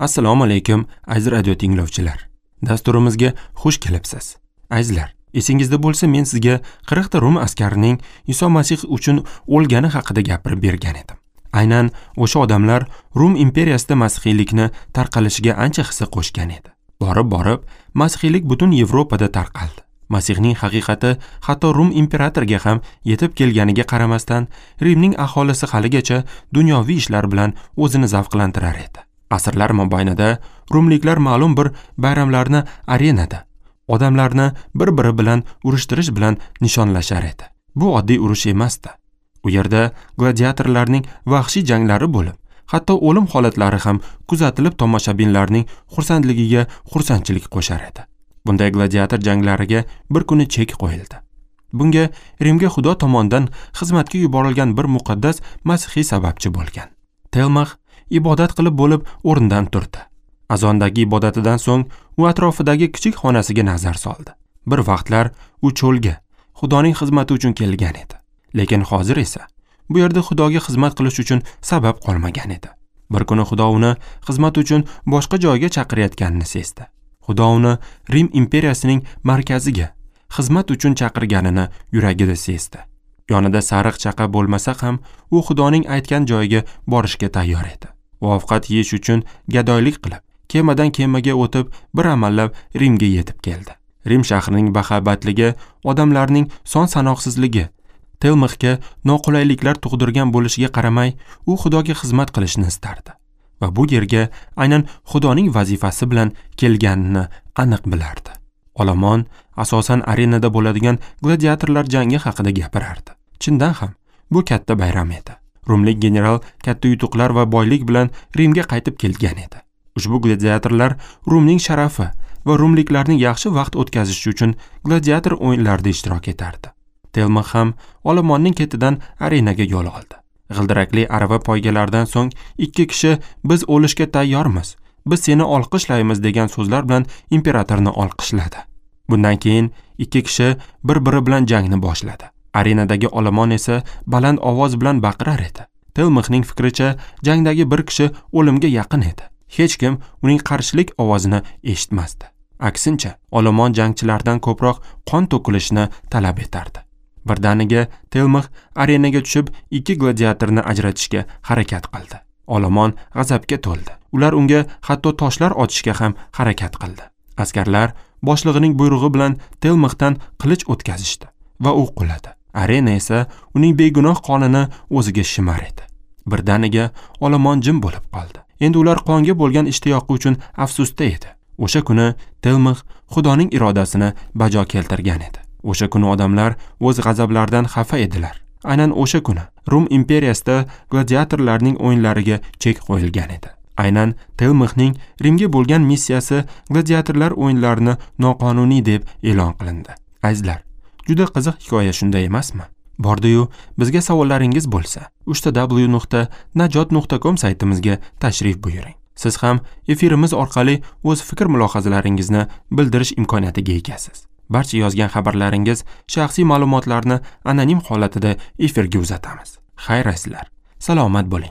Assalomu alaykum, aziz radio tinglovchilar. Dasturimizga xush kelibsiz. Azizlar, esingizda bo'lsa, men sizga 40 ta Rum askarining Iso Masih uchun o'lgani haqida gapirib bergan edim. Aynan o'sha odamlar Rum imperiyasida masihiylikni tarqalishiga ancha hissa qo'shgan edi. Borib-borib, masihiylik butun Yevropada tarqaldi. Masihning haqiqati hatto Rum imperatoriga ham yetib kelganiga qaramasdan, Rimning aholisi haligacha dunyoviy ishlar bilan o'zini zavqlantirar edi. Asrlar mobaynida rumliklar ma'lum bir bayramlarni arenada odamlarni bir-biri bilan urushtirish bilan nishonlashar edi. Bu oddiy urush emasdi. U yerda gladiatorlarning vahshiy janglari bo'lib, hatto o'lim holatlari ham kuzatilib, tomoshabinlarning xursandligiga xursandchilik qo'shar edi. Bunday gladiator janglariga bir kuni chek qo'yildi. Bunga Rimga Xudo tomonidan xizmatga yuborilgan bir muqaddas masihiy sababchi bo'lgan. Telmax ibodat qilib bo'lib o'rnidan turdi. Azondagi ibodatidan so'ng u atrofidagi kichik xonasiga nazar soldi. Bir vaqtlar u cho'lga Xudoning xizmati uchun kelgan edi. Lekin hozir esa bu yerda Xudoga xizmat qilish uchun sabab qolmagan edi. Bir kuni Xudo uni xizmat uchun boshqa joyga chaqirayotganini sezdi. Xudo uni Rim imperiyasining markaziga xizmat uchun chaqirganini yuragida sezdi. Yonida sariq chaqa bo'lmasa ham, u Xudoning aytgan joyiga borishga tayyor edi. U ovqat yeyish uchun gadoylik qilib, kemadan kemaga o'tib, bir amallab Rimga yetib keldi. Rim shahrining bahobatligi, odamlarning son-sanoqsizligi Telmixga noqulayliklar tug'dirgan bo'lishiga qaramay, u Xudoga xizmat qilishni istardi va bu yerga aynan Xudoning vazifasi bilan kelganini aniq bilardi. Olomon asosan arenada bo'ladigan gladiatorlar jangi haqida gapirardi. Chindan ham bu katta bayram edi. Rumlik general katta yutuqlar va boylik bilan Rimga qaytib kelgan edi. Ushbu gladiatorlar Rumning sharafi va rumliklarning yaxshi vaqt o'tkazishi uchun gladiator o'yinlarida ishtirok etardi. Telmax ham olomonning ketidan arenaga yo'l oldi. G'ildirakli arava poygalaridan so'ng ikki kishi "Biz o'lishga tayyormiz, biz seni olqishlaymiz" degan so'zlar bilan imperatorni olqishladi. Bundan keyin ikki kishi bir-biri bilan jangni boshladi. Arenadagi olomon esa baland ovoz bilan baqirar edi. Telmixning fikricha, jangdagi bir kishi o'limga yaqin edi. Hech kim uning qarshilik ovozini eshitmasdi. Aksincha, olomon jangchilardan ko'proq qon to'kilishini talab etardi. Birdaniga Telmix arenaga tushib, ikki gladiatorni ajratishga harakat qildi. Olomon g'azabga to'ldi. Ular unga hatto toshlar otishga ham harakat qildi. Askarlar boshlig'ining buyrug'i bilan Telmixdan qilich o'tkazishdi va u quladi. Arena esa uning begunoh qonini o'ziga shimar edi. Birdaniga olomon jim bo'lib qoldi. Endi ular qonga bo'lgan ishtiyoqi uchun afsusda edi. O'sha kuni Telmix Xudoning irodasini bajo keltirgan edi. O'sha kuni odamlar o'z g'azablaridan xafa edilar. Aynan o'sha kuni Rum imperiyasida gladiatorlarning o'yinlariga chek qo'yilgan edi. Aynan Telmixning Rimga bo'lgan missiyasi gladiatorlar o'yinlarini noqonuniy deb e'lon qilindi. Azizlar, juda qiziq hikoya, shunday emasmi? Bordi-yu, bizga savollaringiz bo'lsa, www.najot.com saytimizga tashrif buyuring. Siz ham efirimiz orqali o'z fikr mulohazalaringizni bildirish imkoniyatiga egasiz. Barcha yozgan xabarlaringiz, shaxsiy ma'lumotlarni anonim holatida efirga uzatamiz. Xayr azizlar, salomat bo'ling.